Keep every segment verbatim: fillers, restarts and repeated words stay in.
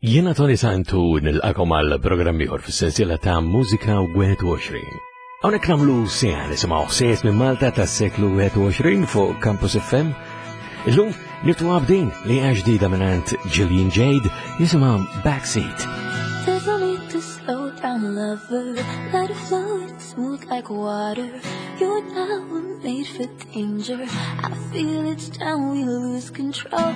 Jiena Tony Santu nilqakom għal programm ieħor fis-sensiela ta' Mużika wieħed u għoxrin. Hawnhekk nagħmlu siegħa nisimgħu ħsejjes minn Malta tas-seklu wieħed u għoxrin fuq Campus F M. Illum niftu b'din li hija ġdida mingħand Gillian Jade, jisimha Backseat. There's no need to slow down, lover. Let it flow, it's smooth like water. You and I were made for danger. I feel each time we lose control.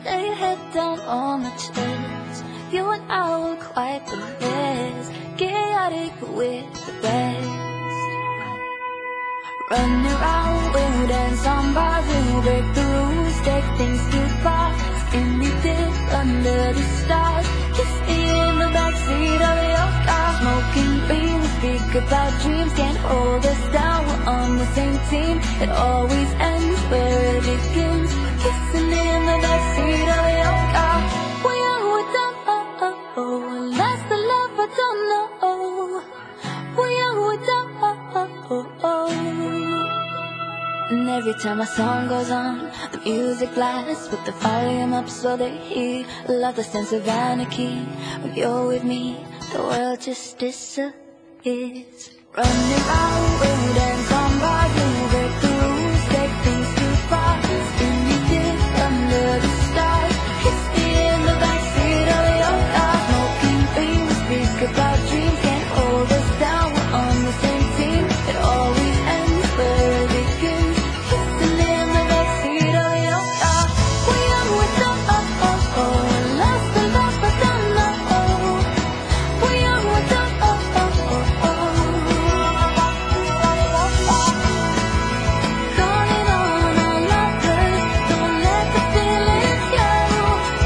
Lay your head down on my chest. You and I were quite the mess. Chaotic, but we're the best. Run around, we'll dance on bars, we'll break the rules, take things too far. Skinny dip under the stars. Kiss me in the backseat of your car. Smoking green, we speak about dreams, can't hold us down. We're on the same team. It always ends where it begins. Kissing in the backseat of your car. We are, we don't know. Lost the love, I don't know. We are, we don't know. And every time a song goes on, the music blasts with the volume up so they hear. Love the sense of anarchy. When you're with me, the world just disappears. Running round, we'll dance on bars, we'll break the rules, take things too far. Skinny dip under the stars. Kiss me in the backseat of your car. Smoking green, we speak about dreams, can't hold us down. We're on the same team. It always ends where it begins. Kissing in the backseat of your car. We are, we don't know. Lost the love, but don't know. We are, we don't know. Calling on our lovers, don't let the feelings go.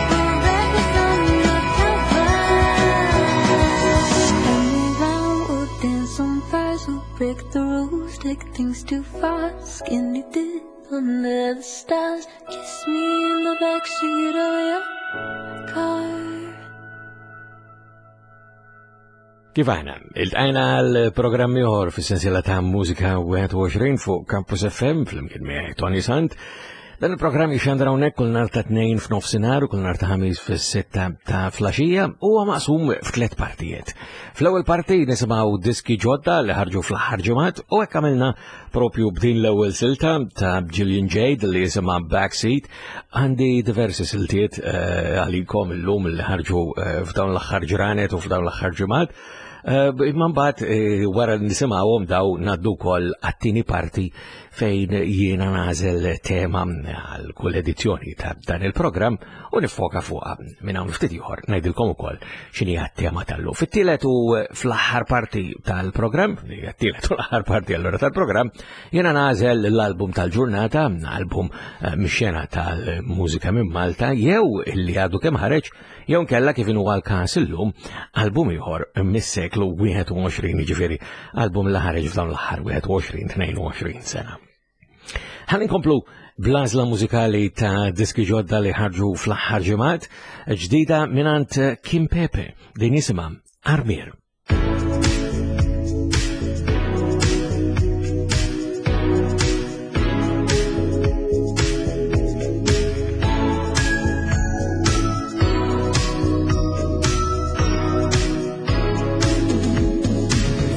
We're reckless undercover. Running round, we'll dance on fires, we'll break the rules, take things too far. Skinny dip under the stars. Kiss me in the backseat of your car. Kif aħna, iltqajna għal programm ieħor fis-sensiela ta' Mużika wieħed u għoxrin fuq Campus F M flimkien miegħi Tony Sant. Dan il-programm jixandra hawnhekk kull nhar ta' Tnejn f'nofsinhar u kull nhar ta' Ħamis fis-sitta ta' filgħaxija u huwa maqsum f'tliet partijiet. Fl-ewwel parti nisimgħu diski ġodda li ħarġu fl-aħħar ġimgħat u hekk għamilna propju b'din l-ewwel silta ta' Gillian Jade li jisimha Backseat. Għandi diversi siltiet eh, għalikom illum li ħarġu eh, f'dawn l-aħħar ġranet u f'dawn l-aħħar ġimgħat. Eh, Imma mbagħad eh, wara li nisimgħuhom daw ngħaddu wkoll għat-tieni parti fejn jiena nagħżel tema għal kull edizzjoni ta' dan il-programm u nifoka fuqha. Minn hawn ftit ieħor ngħidilkom ukoll x'inhi t-tema tal-lum. Fit-tielet u fl-aħħar parti tal-programm, li hija t-tielet u l-aħħar parti allura tal-programm, jiena nagħżel l-album tal-ġurnata, album eh, mix-xena tal-mużika minn Malta, jew illi għadu kemm ħareġ, jew nkella, kif inhu għal-każ illum, album ieħor mis-seklu wieħed u għoxrin, jiġifieri album li ħareġ f'dawn l-aħħar wieħed u għoxrin tnejn u għoxrin sena. Ħa nkomplu bl-għażla mużikali ta' diski ġodda li ħarġu fl-aħħar ġimgħat, ġdida mingħand Kim Pepe, din jisimha Armir.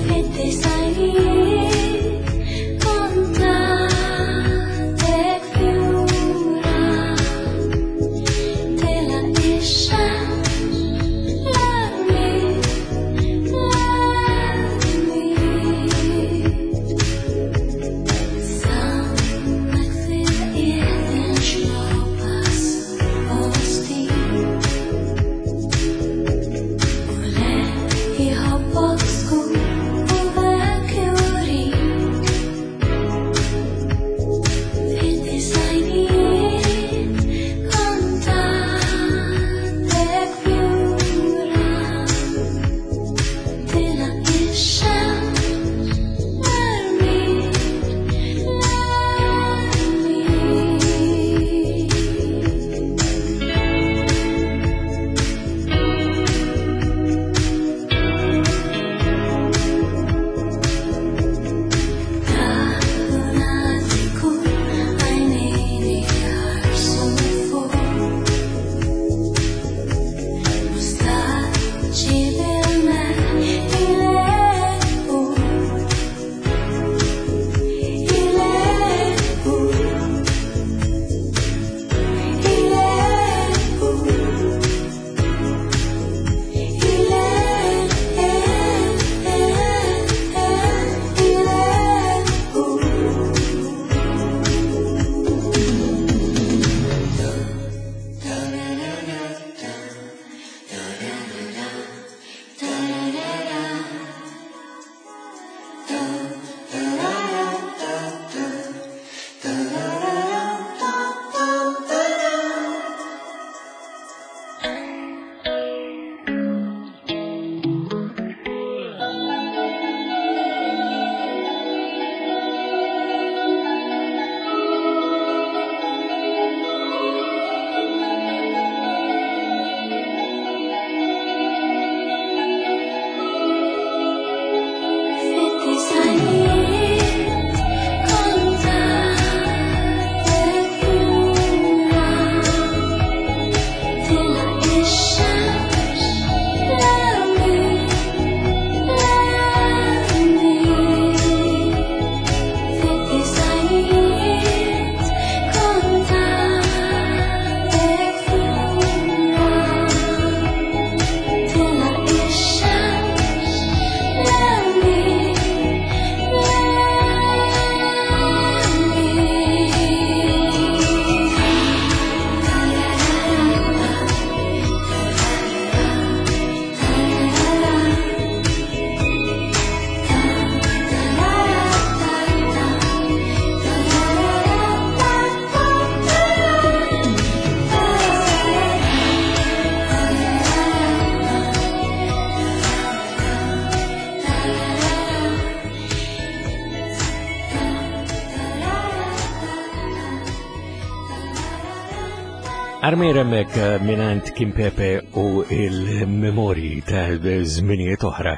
Fid-disgħinijiet kont għadek fjura. Telgħet ix-xemx, l-armier. Armir hemmhekk minant Kim Pepe u il-memorji ta' żminijiet oħra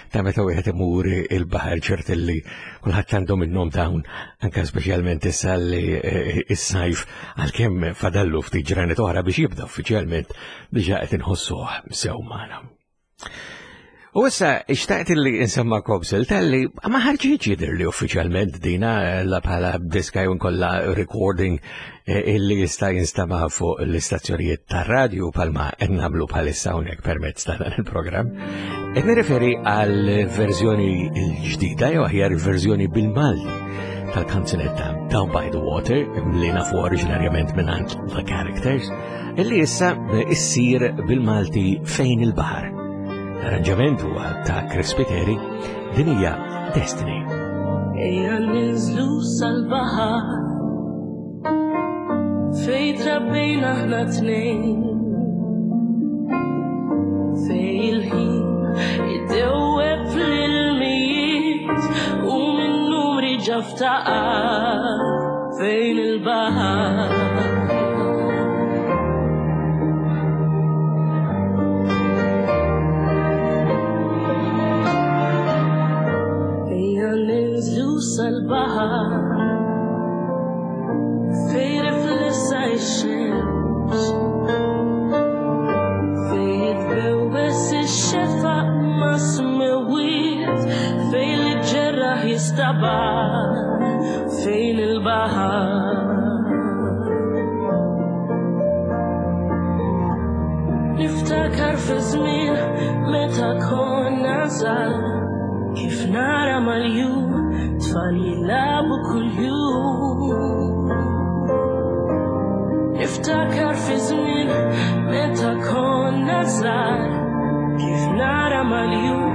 ta' meta wieħed imur il-baħar, ċert li kulħadd għandu minnhom dawn, anke speċjalment issa li s-sajf għalkemm fadallu ftit ġranet oħra biex jibda uffiċjalment diġà qed inħossuh sew magħna. U issa xtaqt li insemma kobsel tal-li ma ħarġitx jidher li uffiċjalment dina la bħala diska jew kollha recording illi jista' jinstama' fuq l-istazzjonijiet tar-radju bħalma qed nagħmlu bħalissa hawnhekk permezz ta' dan il-programm. Qed nirreferi għal verżjoni l-ġdida jew aħjar verżjoni bil-Malti tal-kanzunetta Down by the Water li nafu oriġinarjament mingħand The Characters, illi issa issir bil-Malti Fejn il-Baħar. L-arranġament huwa ta' Chris Spiteri, din hija Destiny. Ejja ninżlu sal-baħar fej trabbejna aħna tnejn, fej il-ħin iddewweb fl-ilmijiet u minn numri ġaftaqar fejn il-baħar. Sal-baħar fej riflessa x-xemx, fej jitbewwes ix-xefaq ma' smewwiet, fej li ġerraħ jistabar fejn il-baħar. Niftakar fi żmien meta konna żgħar, kif nara mal-jum tfal jilagħbu kuljum. Niftakar fi żmien meta konna żgħar, kif nara mal-jum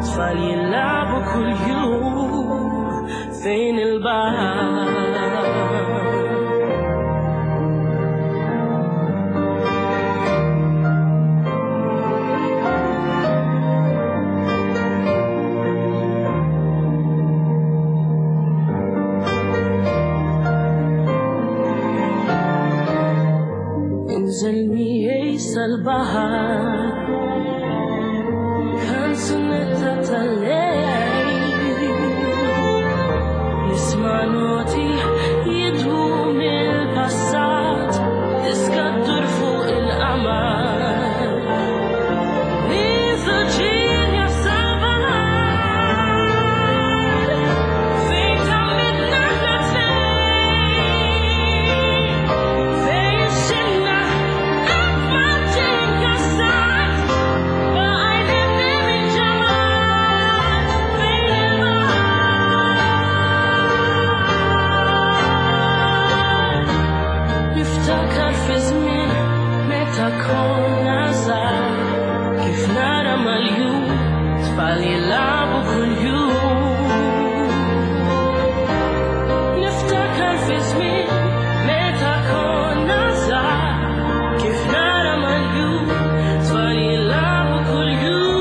tfal jilagħbu kuljum fejn il-baħar. Sal-baħar kanzunetta tal-lejl, nisma' noti jidwu mill-passat, diska ddur fuq il-qamar. Niżoġinja sal-baħar fejn tgħammidna aħna tnejn, fejn xilna konna żgħar, kif nara mal-jum tfal jilagħbu kuljum. Niftakar fi żmien meta konna żgħar, kif nara mal-jum tfal jilagħbu kuljum.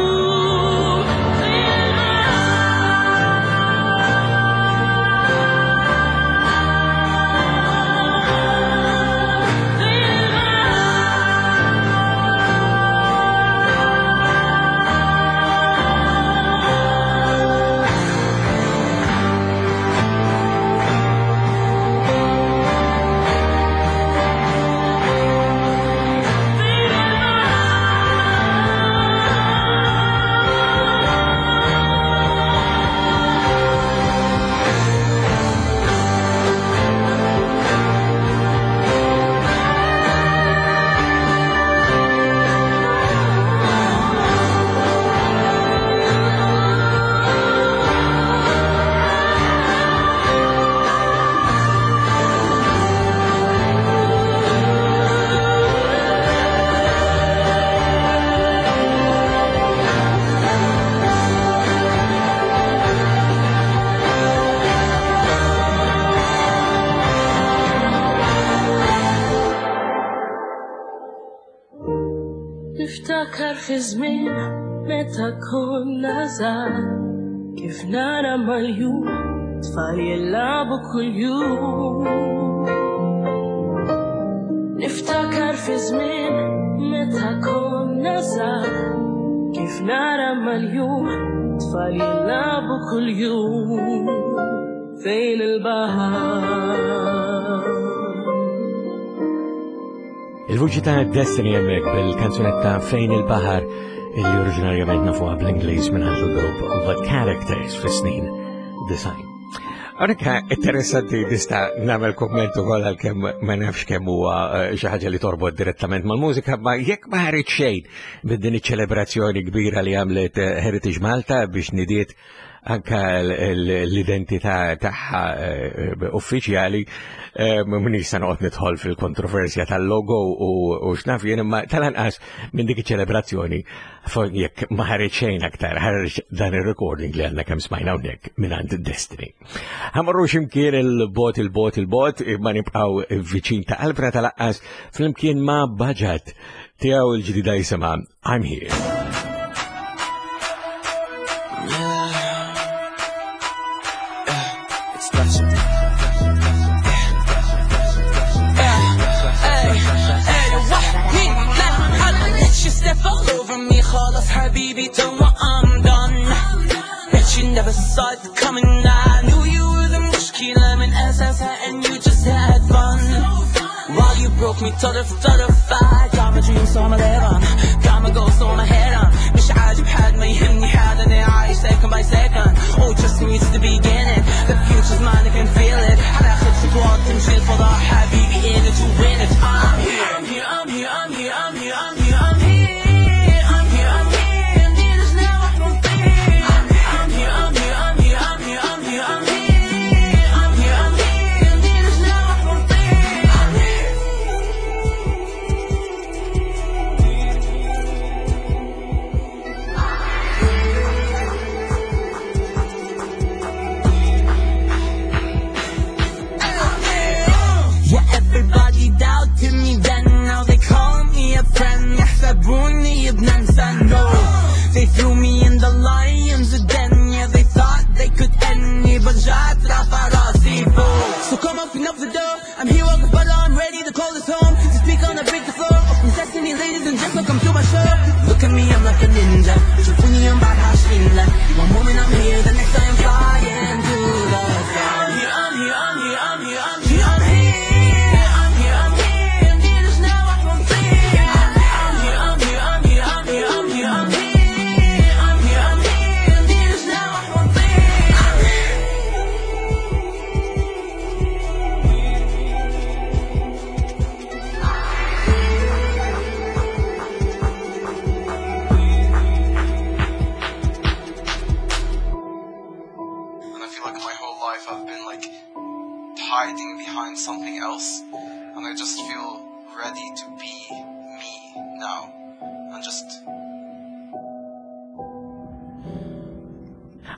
Niftakar fi żmien meta konna żgħar, kif nara mal-jum tfal jilagħbu kuljum. Niftakar fi żmien meta konna żgħar, kif nara mal-jum tfal jilagħbu kuljum fejn il-baħar. Il-vuċi ta' Destiny hemmhekk bil-kanzunetta Fejn il-Baħar illi oriġinarjament nafuha bl-Ingliż minn il-grupp The Characters fis-snin design. Għonek interessanti nista' nagħmel kumment ukoll għalkemm ma nafx kemm huwa xi ħaġa li torbot direttament mal-mużika, ma jekk ma ħareġ xejn minn din iċ-ċelebrazzjoni kbira li għamlet Heritage Malta biex nidiet anka l-identità tagħha uffiċjali, m'iniex se noqgħod nidħol fil-kontroversja tal-logo u x'naf jien, imma tal-anqas minn dik iċ-ċelebrazzjoni jekk ma ħareġ xejn aktar, ħareġ dan ir-recording li għandna kemm smajna hawnhekk mingħand Destiny. Ħa mmorru x'imkien il-bot il-bot il-bot imma nibqgħu viċin ta' qalbna tal-aqqas flimkien ma' Baġat tiegħu l-ġdida jisimha I'm Here. خلاص حبيبي تو I'm done. Bet you never saw it coming. I knew you were the مشكلة من أساسها and you just had fun. While you broke me طرف طرف I got my dreams so I'ma live on. Got my goals so I'ma head on. مش عاجب حد ما يهمني حد أنا عايش second by second. Oh trust me it's the beginning. The future's mine I can feel it. هناخد خطوات تمشي الفضاء حبيبي in it to win it. I'm here I'm here I'm here I'm here I'm here I'm here I'm here. Everybody doubted me then, now they call me a friend. يحسبوني ابن انسان. No, they threw me in the lions den. Yeah, they thought they could end me, but جات رافع راسي فوق. So come open up the door, I'm here walking but I'm ready to call this home. To speak on the break the floor, open sesame ladies and gentlemen, come to my show. Look at me, I'm like a ninja. شوفوني I'm بعد عشرين. One moment I'm here, the next I'm flying to the sky. I'm here, I'm here, I'm here, I'm here, I'm here, I'm here. Hiding behind something else, and I just feel ready to be me now, and just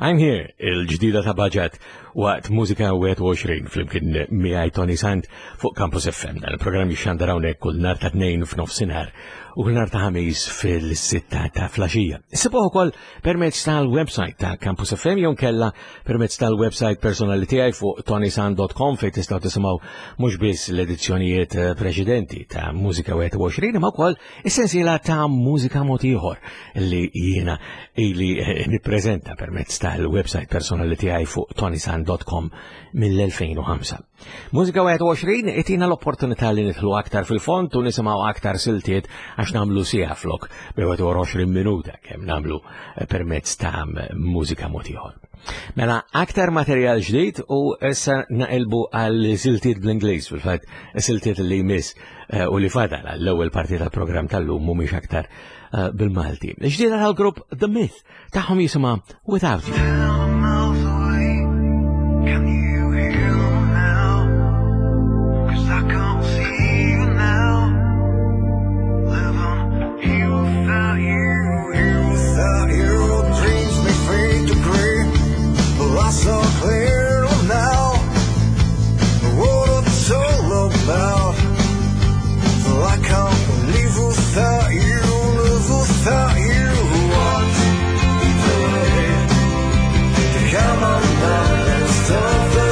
I'm Here, il-ġdida ta' Baġat waqt Mużika wieħed u għoxrin flimkien miegħi Toni Sant fuq Campus F M. Dan il-programm jixxandar hawnhekk kull nhar ta' tnejn f'nofsinhar u kull nhar ta' ħamis fil-sitta ta' flaxija. Issibuh ukoll permezz tal-website ta' Campus F M jew kella permezz tal-website personali tiegħi fuq tonisant dot com fejn tistgħu tisimgħu mhux biss l-edizzjonijiet preċedenti ta' Mużika wieħed u għoxrin imma wkoll is-sensiela ta' Mużika Mod Ieħor li jiena ili nippreżenta permezz tal-website personali tiegħi fuq tonisant dot com mill-elfejn u ħamsa. Mużika wieħed u għoxrin itina l-opportunità li nidħlu aktar fil-fond u nisimgħu aktar siltiet għax nagħmlu siegħa flok bi wieħed u għoxrin minuta kemm nagħmlu permezz ta' Mużika Mod Ieħor. Mela aktar materjal ġdid u issa naqilbu għal siltiet bl-Ingliż, fil-fatt siltiet li jmiss u li fadal għall-ewwel parti tal-programm tal-lum mhumiex aktar bil-Malti. Ġdida tal-grupp The Myth tagħhom jisimha Without You. Can you hear them now? 'Cause I can't see you now. Living here without you, here without you. Dreams may fade to grey, but I saw clear now what it's all about. Well, I can't live without you, live without you. What the heck? Come on now, stop the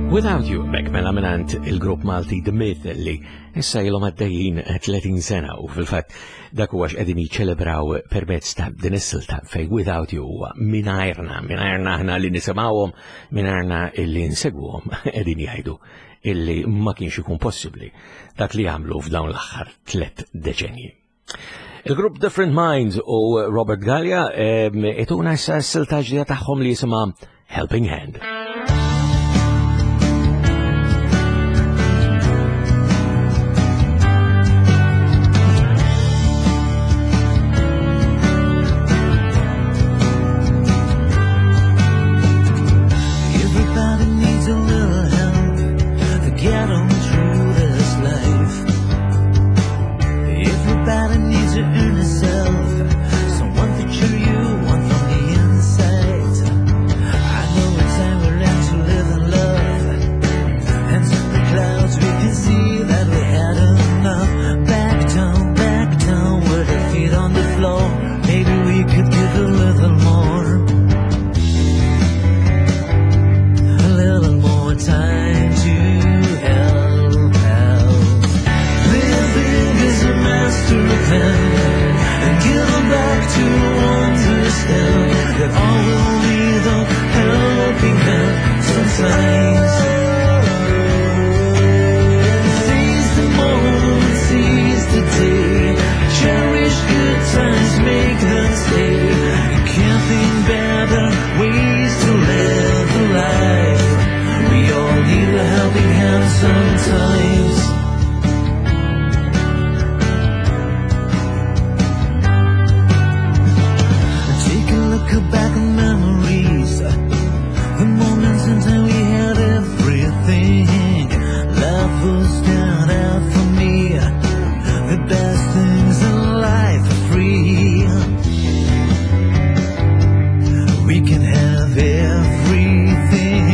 Without You, mek mela minant il-grupp Malti The Myth li issa ilhom għaddejjin tletin sena u fil-fatt dak huwa x'qegħdin jiċċelebraw permezz ta' din is-silta fej Without You huwa mingħajrna, mingħajrna aħna li nisimgħuhom, mingħajrna illi nsegwuhom qegħdin jgħidu illi ma kienx ikun possibbli dak li għamlu f'dawn l-aħħar tliet deċenji. Il-grupp Different Minds u Robert Gallia ituna issa s-silta ġdida tagħhom li jisimha Helping Hand. Everybody needs a little help to get on through this life. Everybody needs to earn itself, someone to cheer you on from the inside. I know it's time we learn to live in love. Hands in the clouds, we can see that we had enough. Back down, back down, with our feet on the floor. Maybe we could give a little more. A little more time to help out. Living is a master plan, and give back to understand that all will need a helping hand sometimes. Seize the moment, seize the day. Cherish good times, make them stay. You can't think better ways to live a life. We all need a helping hand sometimes. Take a look back on memories, the moments in time we had everything. Life was down out for me. The best things in life are free. We can have everything.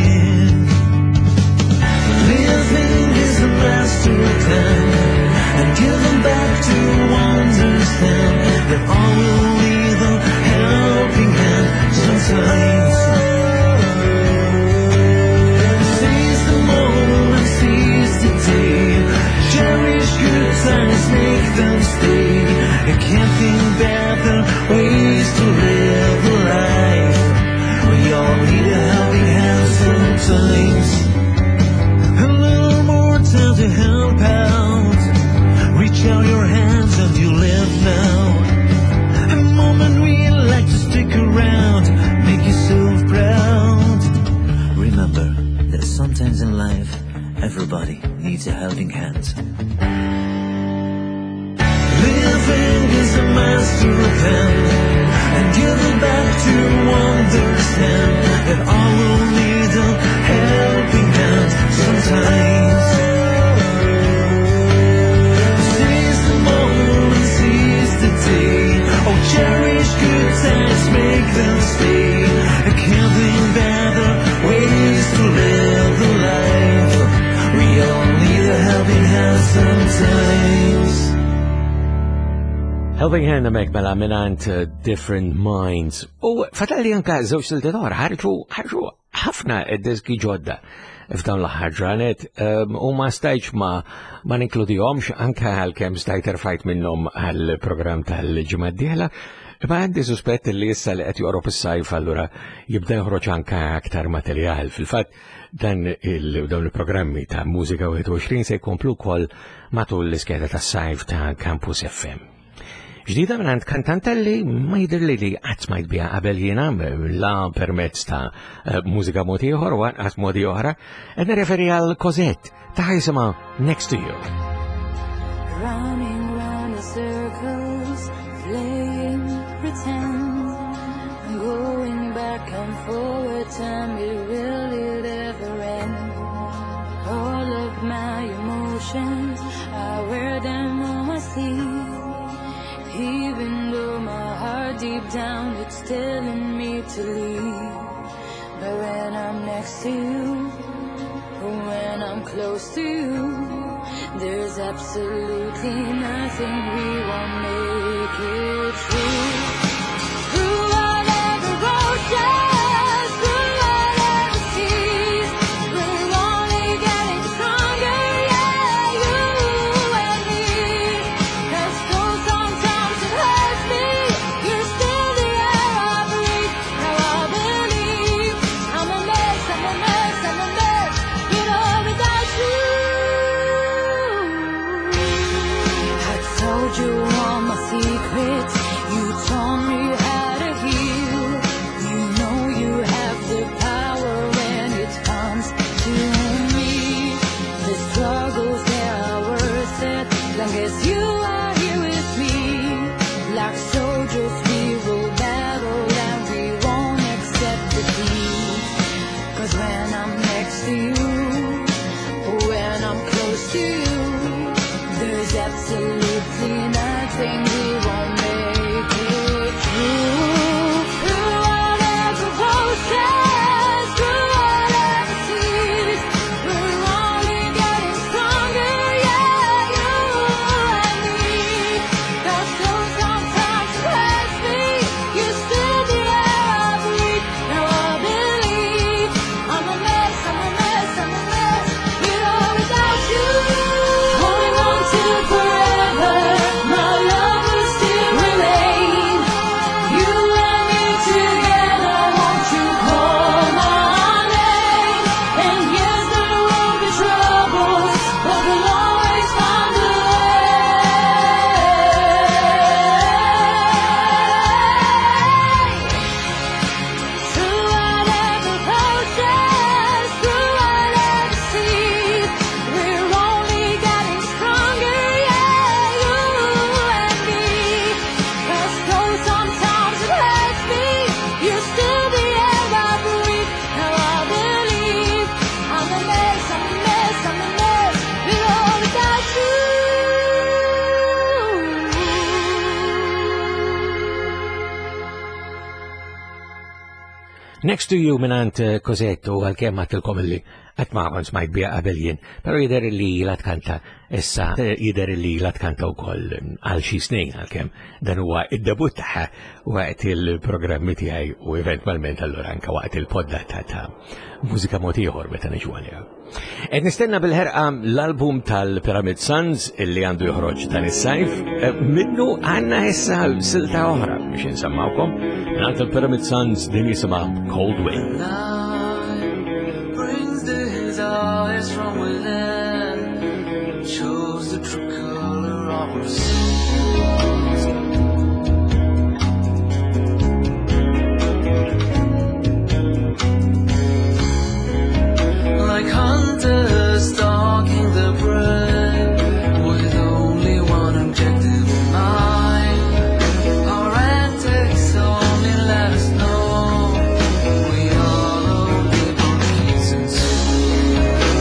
Living is a master plan, and give them back to understand that all will need a helping hand sometimes. Seize the moment, seize the day. Cherish good times, make them stay. You can't think better ways to live a life. We all need a helping hand sometimes. A little more time to help out. Reach out your hands and you live now. A moment we like to stick around, make yourself proud. Remember that sometimes in life, everybody needs a helping hand. Living is a master plan, and giving back to understand that all will need a helping hand sometimes. Seize the moment, seize the day. Oh, cherish good times, make them stay. I can't think better ways to live the life. We all need a helping hand sometimes. Helping Hand mek mela minant uh, Different Minds. U fatalli anka żewġ siltiet oħra ħarġu ħarġu ħafna diski ġodda f'dawn l-aħħar ġranet um, u ma stajtx ma ma ninkludihomx anka għalkemm stajt erfajt minnhom għall-programm tal-ġimgħa d-dieħla. Ma għandi suspett li issa li qed joqrob is-sajf allura jibda joħroġ anka aktar materjal. Fil-fatt dan il dawn il-programmi ta' Mużika wieħed u għoxrin se jkomplu wkoll matul l-iskeda tas-sajf ta' Campus F M. Ġdida minn għand kantanta li ma jidhirli li qatt smajt biha qabel jiena, la permezz ta' mużika mod ieħor u anqas modi oħra, qed nirreferi għal Cosette ta' jisimha Next to You. Running round in circles, playing pretend, going back and forward, tell me will it ever end? All of my emotions, I wear them on my sleeve. Even though my heart deep down, it's telling me to leave. But when I'm next to you, when I'm close to you, there's absolutely nothing we won't make it through. Through whatever oceans, through whatever seas, we're only Long as you are here with me, like soldiers we will battle and we won't accept defeat. Cause when I'm next to you, when I'm close to you, there's absolutely nothing we won't make it through. Through whatever process, through whatever seas, we're only getting stronger, yeah, you and me. 'Cause though sometimes it hurts me, you're still the air I breathe. Now I believe I'm a mess, I'm a mess, I'm a mess, with or without you. Holding on to forever, my love will still remain. You and me together, won't you call my name? And yes, there will be troubles, but we'll always find a way. Through whatever process, through whatever seas, we're only getting stronger, yeah, you and me. 'Cause though sometimes it hurts me, you're still the air I breathe. Now I believe I'm a mess, I'm a mess, I'm a mess, with or without you. Next to You minant eh, Cosette u għalkemm għedtilkom illi qatt ma kont smajt biha qabel jien, pero jidher li la tkanta issa eh, jidher li la tkanta wkoll għal xi snin għalkemm dan huwa id-debut tagħha waqt il-programmi tiegħi u eventwalment allura anke waqt il-poddata ta' mużika mod ieħor meta niġu għaliha. Qed nistenna bil-ħerqa l-album tal-Pyramid Sons illi għandu joħroġ dan is-sajf, eh, minnu għandna issa silta oħra biex insemmawkom. Mingħand il-Pyramid Sons din jisimha Cold Wind. Night brings desires from within, shows the true color of our souls. Like hunters stalking the prey, with only one objective in mind. Our antics only let us know we are only monkeys and souls.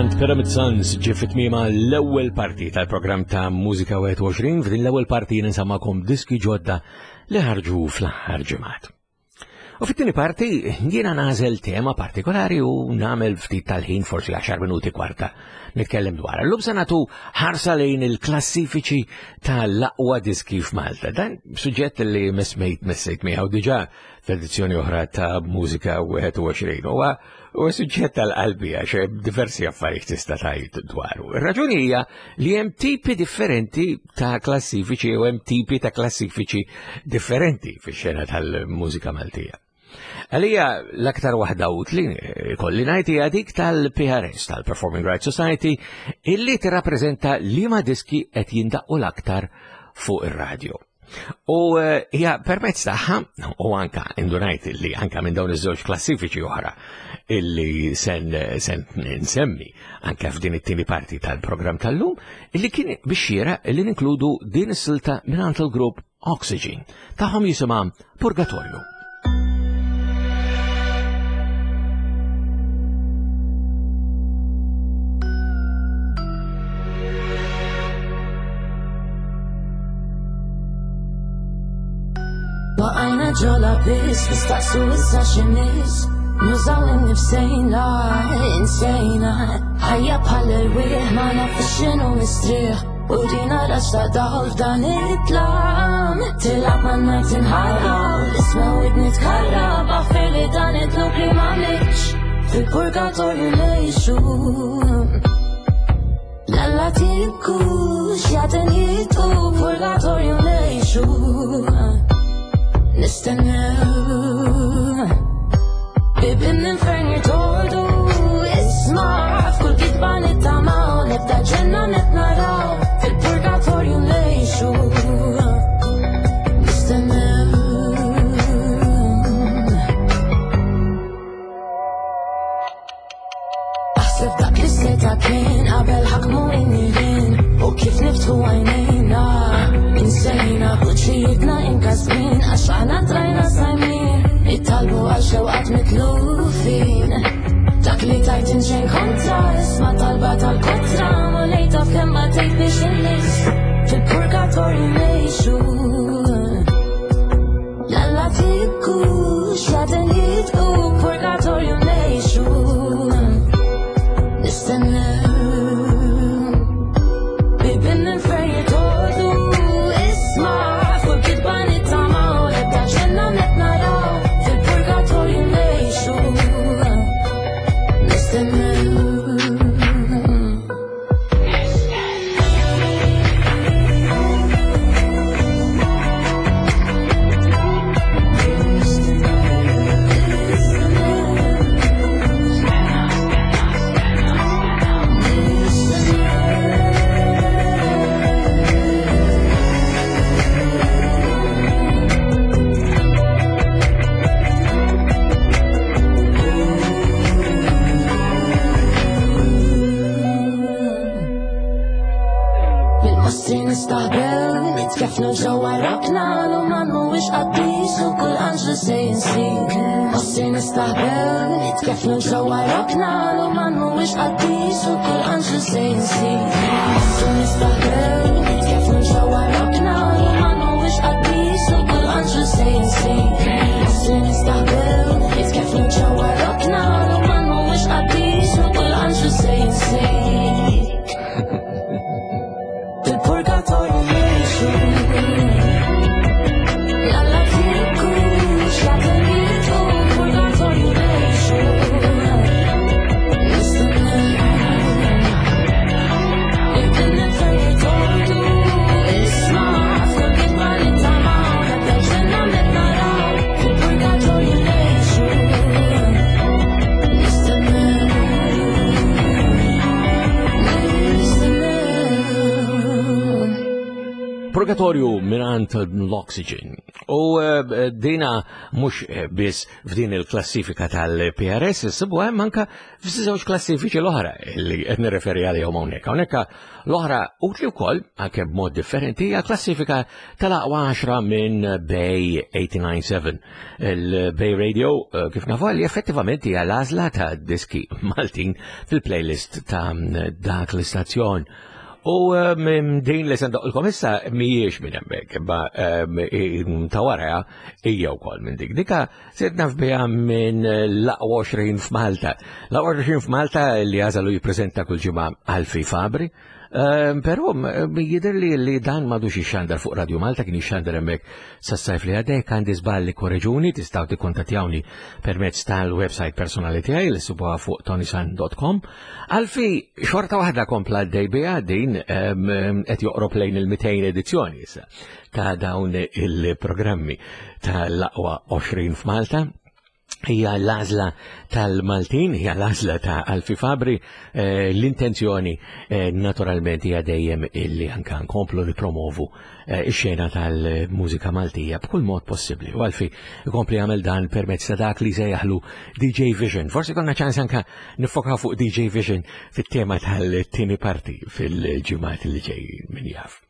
Minant Pyramid Sons ġie fi tmiemha l-ewwel parti tal-programm ta' Mużika wieħed u għoxrin. F'din l-ewwel parti ninsammakom diski ġodda li ħarġu fl-aħħar ġimgħat. U fit-tieni parti jiena nagħżel tema partikolari u nagħmel ftit tal-ħin, forsi għaxar minuti kwarta, nitkellem dwar. Illum se nagħtu ħarsa lejn il-klassifiċi tal-aqwa diski f'Malta. Dan suġġett li messejt messejt miegħu diġà f'edizzjoni oħra ta' Mużika wieħed u għoxrin. Huwa u suġġett tal-qalbi għax hemm diversi affarijiet tista' tgħid dwaru. Ir-raġuni hija li hemm tipi differenti ta' klassifiċi u hemm tipi ta' klassifiċi differenti fix-xena tal-mużika Maltija. Għalija l-aktar waħda utli kolli ngħid hija dik tal-P R S, tal-Performing Rights Society, illi tirrappreżenta liema diski qed jindaqqu l-aktar fuq ir-radju. U, eh, hija permezz tagħha, u anka indunajt li anka minn dawn iż-żewġ klassifiċi oħra illi sen, sen nsemmi anka f'din it-tieni parti tal-programm tal-lum, illi kien biex xieraq illi ninkludu din is-silta mingħand il-grupp Oxygen tagħhom jisimha Purgatorju. Waqajna ġola biss, nistaqsu issa x'imiss. Nużaw innifsejna, insejna. Ħajja bħal irwieħ, ma nafux x'inhu mistrieħ. U dina rax ta' dawl f'dan it-tlam. Tilgħab ma' nar tinħarab, isma' widni tkarrab. Aħfer li dan it-tluk li m'għamlitx, fil-purgatorju ngħixu. Lalla tikkux, jaten jitqu, purgatorju ngħixu. Nistennew bibin l-infern jirtordu. Isma' f'kull kitba nittamaw, nibda ġenna net naraw, fil-purgatorju ngħixu. Nistennew. Aħseb dak li seta kien qabel ħakmu in-nirien, u kif niftħu għajnejna insejna vuċijietna inkasbin, għax aħna trajna sajmin, ittalbu għal xewqat mitlufin. Dak li tajt inxejn kontra, isma' talba tal-kotra, ma lejta f'kemm ma tgħid biex inniss, fil-purgatorju ngħixu. Lalla tikkux, jaden jitqu, purgatorju ngħixu. Nistennew bibin l-infern jirtordu. Isma' fuq kitba nittamaw, l-ebda ġenna net naraw, fil-purgatorju ngħixu. Nistennew. Nitkefnu ġewwa rokna, l-uman mhuwiex qaddis u kull anġlu se jinsik. Mostri nistaħbew, nitkefnu ġewwa rokna, l-uman mhuwiex qaddis u kull anġlu se jinsik. Mostri nistaħbew, nitkefnu ġewwa rokna, l-uman mhuwiex qaddis u kull anġlu se jinsik. Mostri nistaħbew, nitkefnu ġewwa rokna, l-uman mhuwiex qaddis u kull anġlu se jinsik. Fil-purgatorju ngħixu. Lalla tikkux, jaten jitqu, purgatorju ngħixu. Nistennew. Ibn l-infern jirtordu. Purgatorju minant l-Oxygen. U eh, dina mhux biss f'din il-klassifika tal-P R S, sibu hemm anka f'żewġ klassifiċi l-oħra li qed nirreferi għalihom hawnhekk. Hawnhekk l-oħra utli wkoll anke b'mod differenti hija klassifika tal-aqwa għaxra minn Bay eighty-nine seven. Il-Bay Radio kif nafu li effettivament hija l-għażla ta' diski Maltin fil-playlist ta' dak l-istazzjon. U din li sendoqlkom issa mhijiex minn hemmhekk, imma ta' wara hija wkoll minn dik. Dika sirt naf biha minn l-aqwa għoxrin f'Malta. L-aqwa għoxrin f'Malta li għażalu jippreżenta kull ġimgħa Alfi Fabri. Però jidher li li dan m'għadux ixxandar fuq Radio Malta, kien ixxandar hemmhekk sas-sajf li għadek. Għandi żball li korreġuni, tistgħu tikkuntattjawni permezz tal-website personali tiegħi li ssibuha fuq tonisan dot com. Alfi xorta waħda kompla għaddej biha din, qed joqrob lejn il-mitejn edizzjoni issa ta' dawn il-programmi tal-aqwa għoxrin f'Malta. Hija l-għażla tal-Maltin, hija l-għażla ta' Alfi Fabri. L-intenzjoni naturalment hija dejjem illi anke nkomplu nipromovu ix-xena tal-mużika Maltija b'kull mod possibbli. U Alfi jkompli jagħmel dan permezz ta' dak li sejjaħlu D J Vision. Forsi konna ċans anke nifokaw fuq D J Vision fit-tema tal-tieni parti fil-ġimgħat li ġejjin, min jaf.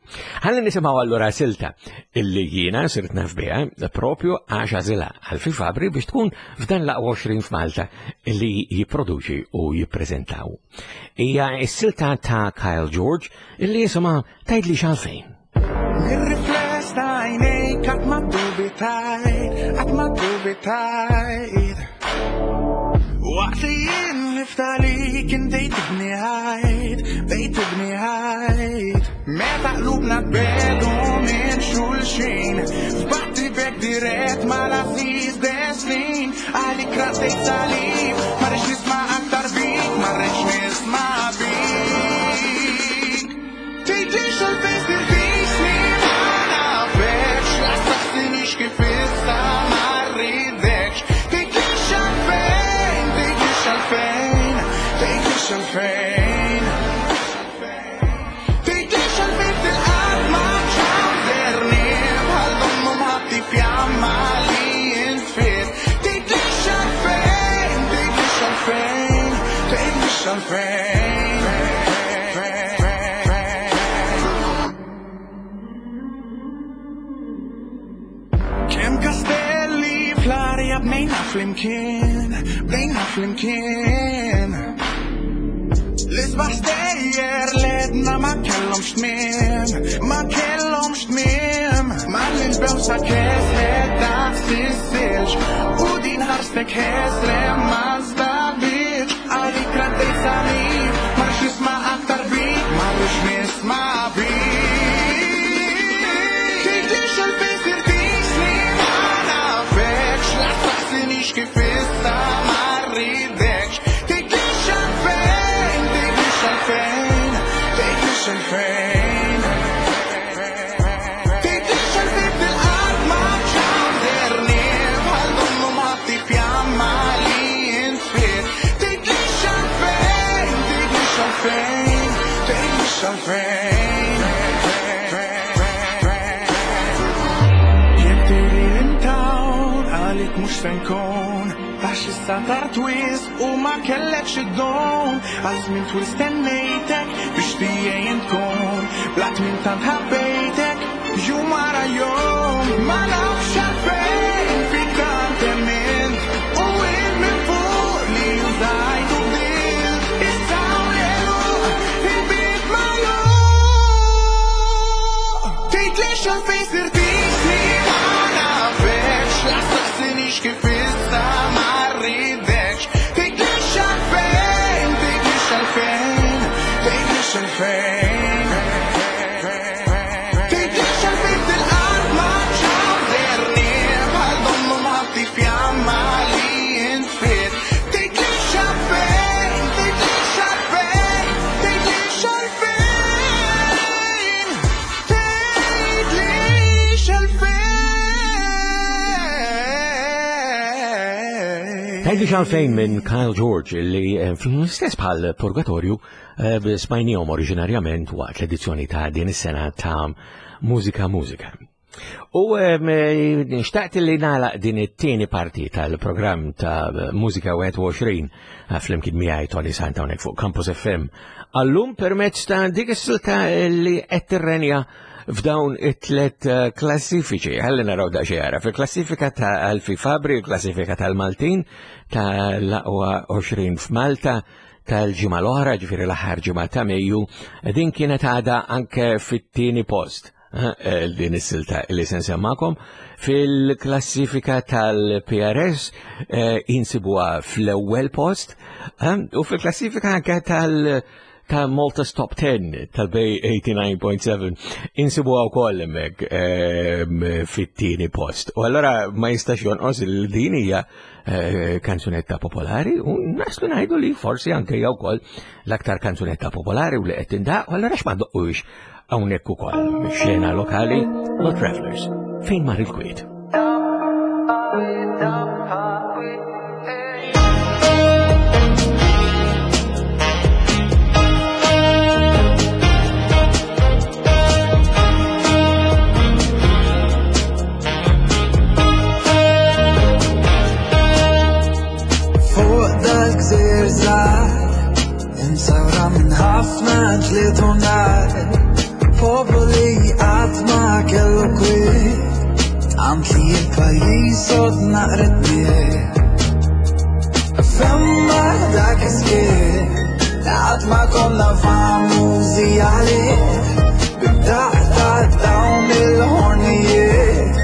Ħalli nisimgħu allura silta illi jiena sirt naf biha propju għax għażilha Alfi Fabri biex tkun f'dan l-aqwa għoxrin f'Malta illi jipproduċi u jippreżentaw. Hija s-silta ta' Kyle George illi jisimha Tgħidli x'għalfejn. Mir-rifless ta' għajnejk qatt ma ddubitajt, qatt ma ddubitajt. Waqt li jien niftalik intejt tibni ħajt, bdejt tibni ħajt. Meta qlubna tbedu minn xulxin, f'batti bek dirett mal-aziz destin. Għalik raddejt salib, ma rridx nisma' aktar bik, ma rridx nisma' bik. Tgħidlix għalfejn sirtisni ma nafekx, la saqsinix kif issa ma rridekx. Tgħidlix għalfejn, tgħidlix għalfejn, tgħidlix għalfejn. Tgħidlix għalfejn fil-qatt ma ċawżerni, bħal donnu mħatti fjamma li jinfit. Tgħidlix għalfejn, tgħidlix għalfejn, tgħidlix għalfejn. Kemm kastelli fl-arja bnejna flimkien, bnejna flimkien. L-isbaħ stejjer ledna ma kellhomx tmiem, ma kellhomx tmiem. Malli l-bewsa kesħet daqs is-silġ, u din ħarstek ħesrem ma żdabitx. Għalik raddejt salib, ma rridx nisma' aktar bik, ma rridx nisma' bik. Tgħidlix għalfejn sirtisni ma nafekx, la saqsinix kif issa ma rridekx. Tgħidlix għalfejn, tgħidlix għalfejn, tgħidlix għalfejn. Tgħidlix għalfejn fil-qatt ma ċawżerni, bħal donnu mħatti fjamma li jinfit. Tgħidlix għalfejn, tgħidlix għalfejn, tgħidlix għalfejn. Jekk tgħidli intawn għalik mhux se nkun, għax issa tard wisq u ma kellekx id-don. Għal żmien twil stennejtek biex tiegħi tkun, bla tmien tant ħabbejtek jum wara jum. Ma nafx għalfejn fik tant emmint, u int minn fuq li użajt u bdilt. Issa u l-għeluq il-bib magħluq. Tgħidlix għalfejn sirtisni ma nafekx, la saqsinix kif issa ma rridekx. Tgħidlix għalfejn, tgħidlix għalfejn, tgħidlix għalfejn. Tgħidlix għalfejn fil-qatt ma ċawżerni, Tgħidli x'għalfejn minn Kyle George li eh, fl-istess bħal Purgatorju eh, smajnihom oriġinarjament waqt l-edizzjoni ta' din is-sena ta' Mużika Mużika. U eh, xtaqt li nagħlaq din it-tieni parti tal-programm ta' Mużika wieħed u għoxrin flimkien miegħi Tony Sant hawnhekk fuq Campus F M għallum permezz ta' dik is-silta li qed tirrenja f'dawn it-tlet eh, klassifiċi. Ħalli naraw daqsxejn ara. Fil-klassifika ta' Alfie Fabri, il-klassifika tal-Maltin, ta' l-aqwa għoxrin f'Malta, tal-ġimgħa l-oħra, ġifieri l-aħħar ġimgħa ta' Mejju, din kienet għada anke fit-tieni post. Eh, din is-silta li se nsemmakom fil-klassifika tal-P R S eh, insibuha fl-ewwel post eh, u fil-klassifika anke tal- ta' Malta's Top ten tal-Bay eighty-nine point seven insibuha wkoll hemmhekk ehm, fit-tieni post. U allora ma jistax jonqos il din hija eh, kanzunetta popolari u naslu ngħidu li forsi anke hija wkoll l-aktar kanzunetta popolari u li qed tindaq, u allora x'ma doqqux hawnhekk ukoll mix-xena lokali, The Travelers, Fejn Mar il-Kwiet. Fuq dal-gżir żgħar imsawra minn ħafna ġlied u nar, poplu li qatt ma kellu kwiet, tant li l-pajjiż sod naqret miet. Femma dak is-skiet, qatt ma konna famużi għalih, bid-daq ta' dawn il-ħornijiet,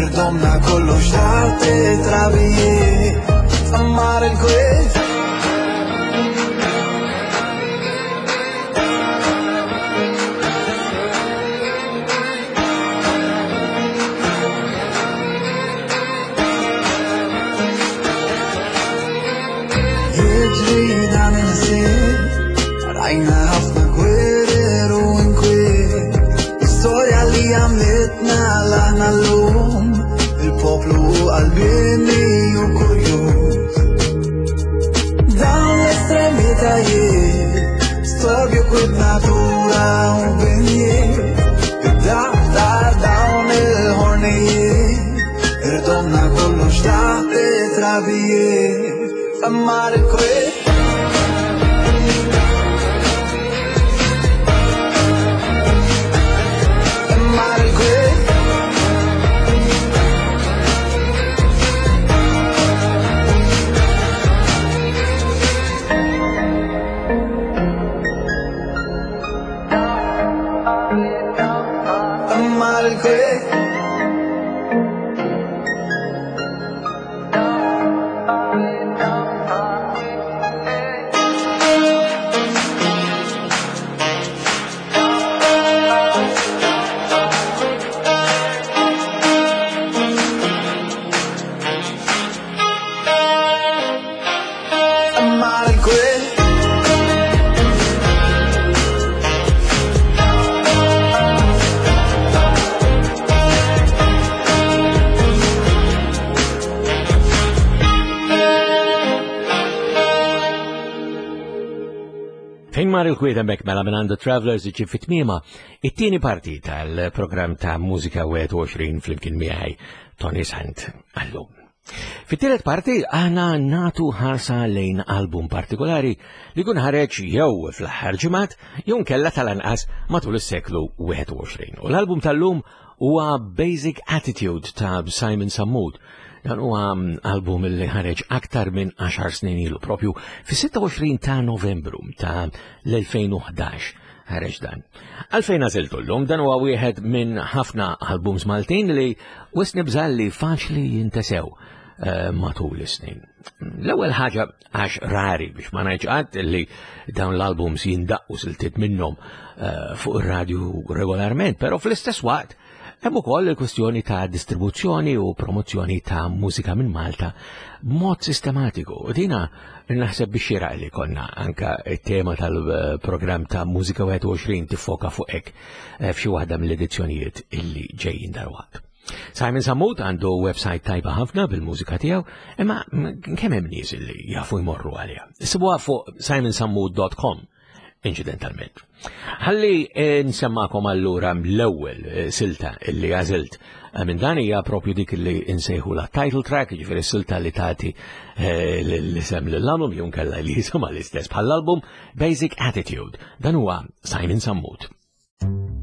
irdomna kollox taħt it-trabijiet. Mar il-kwiet. Jiġri dan il-ħsieb, rajna ħafna gwerer u inkwiet. Storja li għamlitna l-aħna l-lum, il-poplu u qalbini u kurjuż. Dawn l-estremitajiet, storbju kwiet natura u binjiet, id-daq ta' dawn il-ħornijiet, irdomna kollox taħt it-trabijiet. Mar il-kwiet. Mar il-kwiet. Mar il-kwiet. Mar il-kwiet. Fejn mar il-kwiet hemmhekk mela minn The Travelers iġi fit-tmiema it-tieni parti tal-programm ta' Mużika wieħed u għoxrin flimkien miegħi Tony Sant għallum. Fit-tielet parti aħna natu ħarsa lejn album partikolari li kun ħareġ jew fl-aħħar ġimgħat jew nkella tal-anqas matul is-seklu wieħed u għoxrin. U l-album tal-lum huwa Basic Attitude ta' Simon Sammut. Dan huwa album li ħareġ aktar minn għaxar snin ilu, propju fis-sitta u għoxrin ta' Novembru ta' l-elfejn u ħdax ħareġ dan. Għalfejn għażiltu llum? Dan huwa wieħed minn ħafna albums Maltin li wisq nibża' li faċli jintesew eh, matul is-snin. L-ewwel ħaġa għax rari biex ma ngħidx qatt li dawn l-albums jindaqqu siltiet minnhom eh, fuq ir-radju regolarment, però fl-istess waqt hemm ukoll il-kwestjoni ta' distribuzzjoni u promozzjoni ta' mużika minn Malta b'mod sistematiku. U dina naħseb biex xieraq li konna anka it-tema tal-programm ta' Mużika wieħed u għoxrin tiffoka fuq hekk eh, f'xi waħda mill-edizzjonijiet illi ġejjin darwaqt. Simon Sammut għandu website tajba ħafna bil-mużika tiegħu, imma kemm hemm nies li jafu jmorru għaliha. Sibuha fuq simon sammut dot com incidentalment. Ħalli nsemmakom allura l-ewwel silta illi għażilt minn dan hija propju dik li insejħu la title track, jiġifieri silta li tagħti l-isem lill-album jew nkella li jisimha l-istess bħall-album, Basic Attitude. Dan huwa Simon Sammut. Thank you.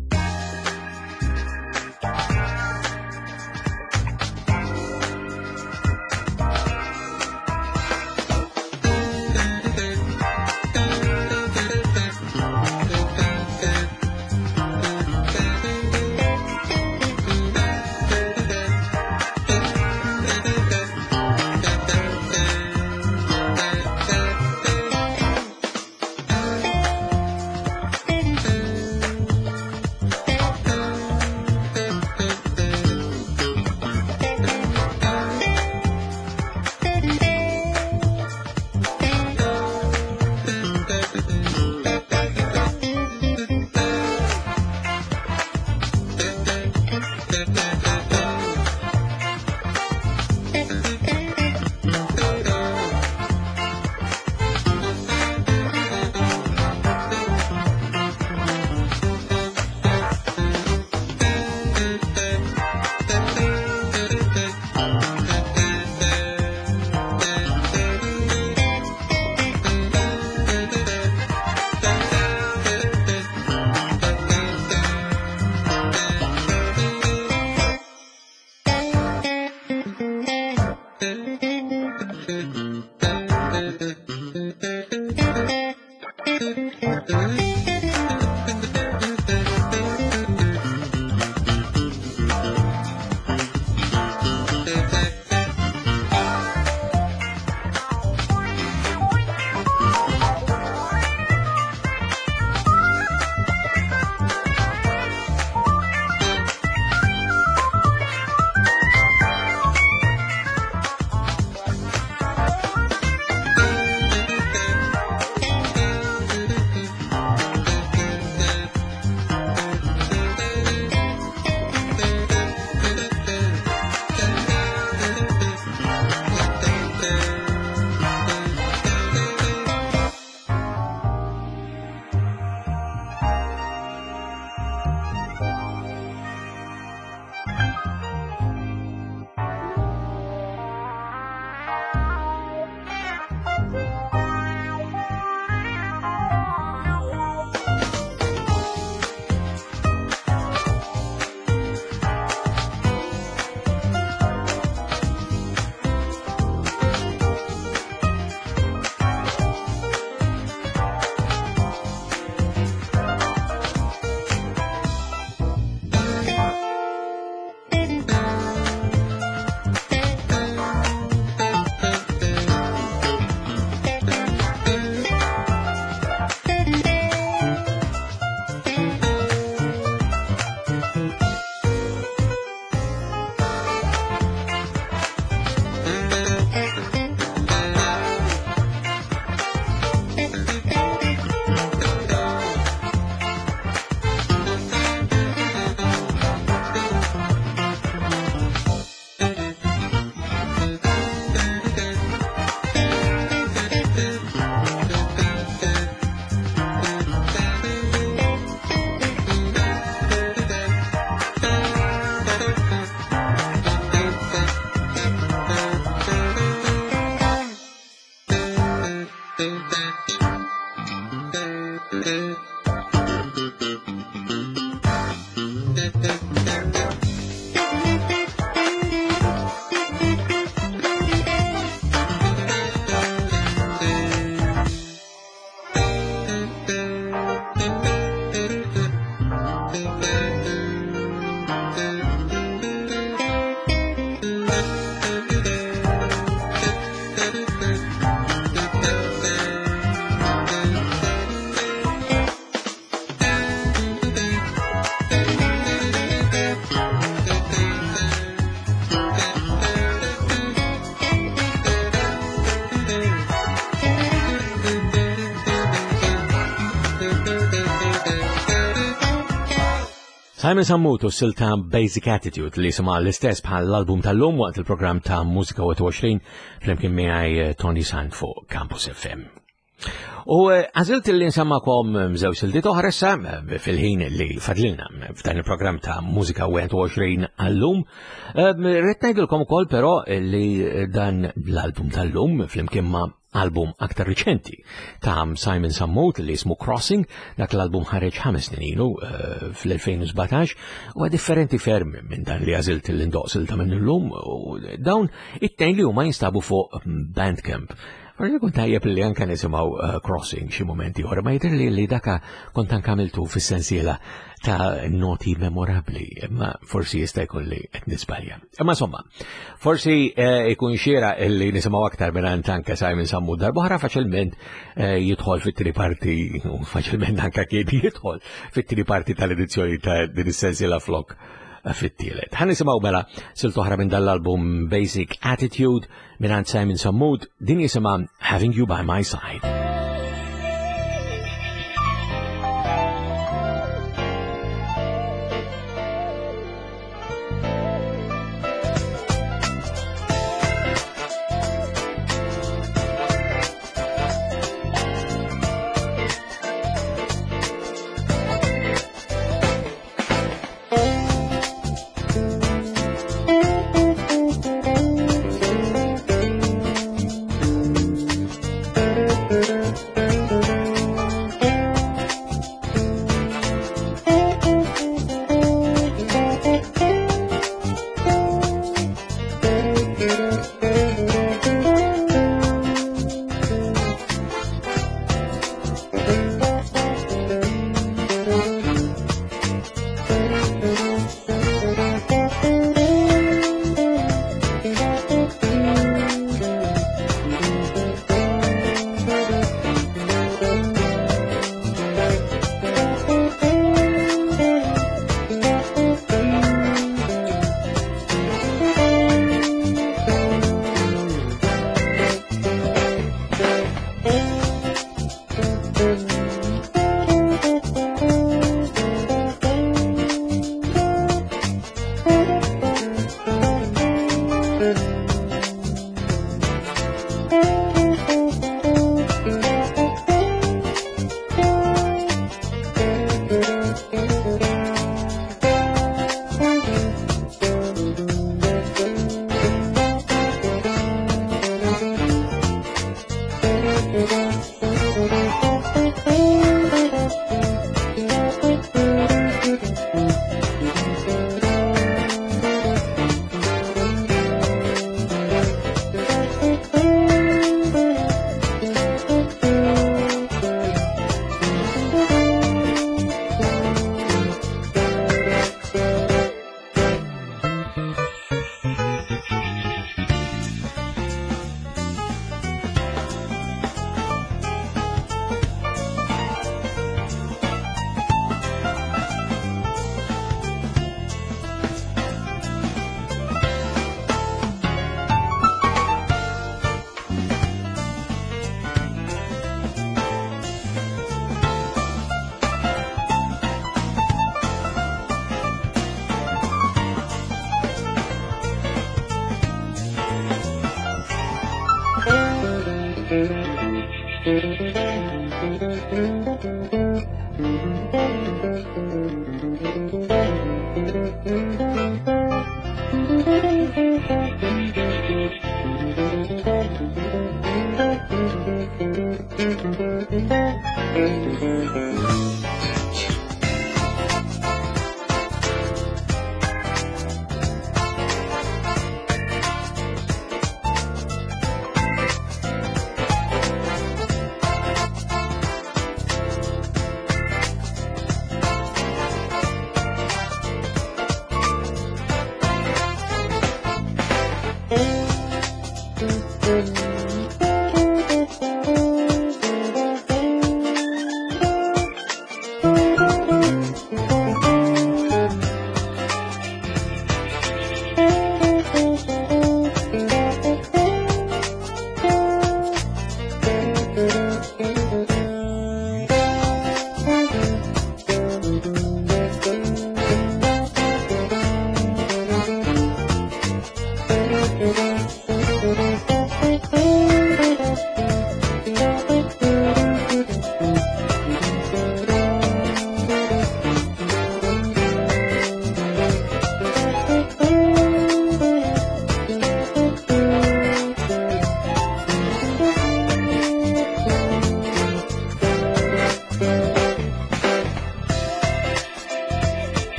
Simon Sammut u silta Basic Attitude li sema l-istess bħal l-album tal-lum waqt il-programm ta' Mużika wieħed u għoxrin flimkien miegħi eh, Toni Sant fuq Campus F M. U eh, għażilt li nsemmakom żewġ siltiet oħra issa eh, fil-ħin li fadlilna f'dan il-programm ta' Mużika wieħed u għoxrin għallum. Rrid ngħidilkom ukoll però li dan l-album tal-lum flimkien ma' album aktar riċenti ta' Simon Sammut li jismu Crossing, dak l-album ħareġ ħames snin ilu uh, fl-elfejn u sbatax, u differenti ferm minn dan li għażilt l-indoqq silta minn illum, u dawn it-tnejn li huma jinstabu fuq Bandcamp. Forsi kun tajjeb li anka nisimgħu uh, Crossing xi momenti oħra, ma jidher li li daka kont anka għamiltu fis-sensiela ta' noti memorabli, imma forsi jista' jkun li qed nisbalja. Imma insomma, forsi eh, ikun xieraq li nisimgħu aktar minn anka Simon Sammut darb'oħra, faċilment eh, jidħol fit-tieni parti, u faċilment anka kien jidħol fit-tieni parti tal-edizzjoni ta' din is-sensiela flok fit-tielet. Ħa nisimgħu mela silta oħra minn dal-album Basic Attitude minn Simon Sammut, din jisimha Having You By My Side.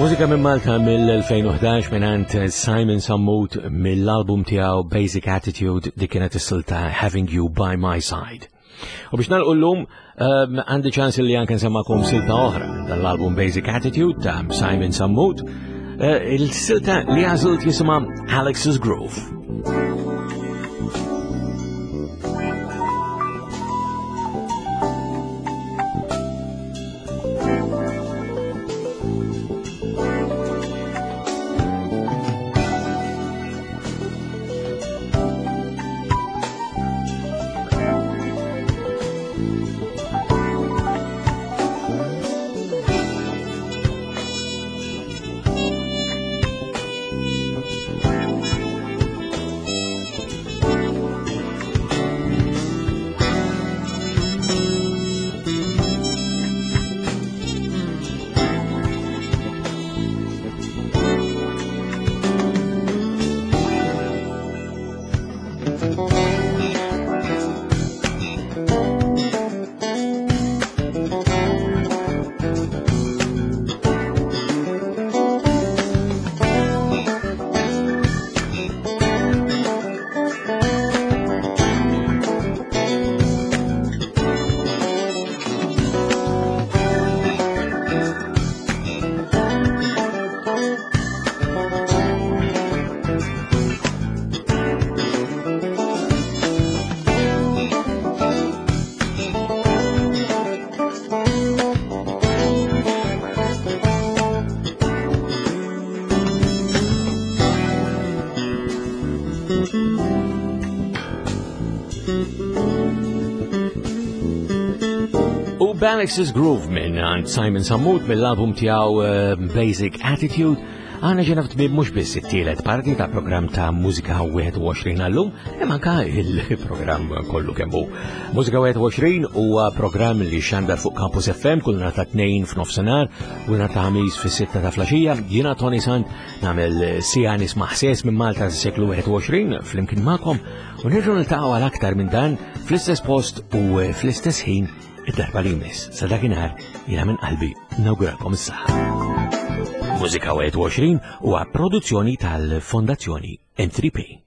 Mużika minn Malta mill-elfejn u ħdax mingħand Simon Sammut mill-album tiegħu Basic Attitude, dik kienet is-silta Having You By My Side. U biex nagħlqu llum, ehm, għandi ċans li anke nsemmakom silta oħra minn dan l-album Basic Attitude ta' Simon Sammut. Eh, il-silta li għażilt jisimha Alex's Groove. Alex's Groove minn għand Simon Sammut mill-album tiegħu, eh, Basic Attitude. Għana ġena f'tmiem mhux biss it-tielet parti ta' programm ta' Mużika wieħed u għoxrin għallum, imma anka il-programm kollu kemm hu. Mużika wieħed u għoxrin huwa programm li xandar fuq Campus F M kull nhar ta' tnejn f'nofsinhar u nhar ta' ħamis fis-sitta ta' flaxija. Jiena Toni Sant nagħmel sija nisma' ħsies minn Malta s-seklu wieħed u għoxrin flimkien magħkom u nerġgħu niltaqgħu għal aktar minn dan fl-istess post u fl-istess ħin id-darba li jmiss. Sa dakinhar jiena minn qalbi nawguralkom is-saħħa. Mużika wieħed u għoxrin huwa produzzjoni tal-Fondazzjoni M three P.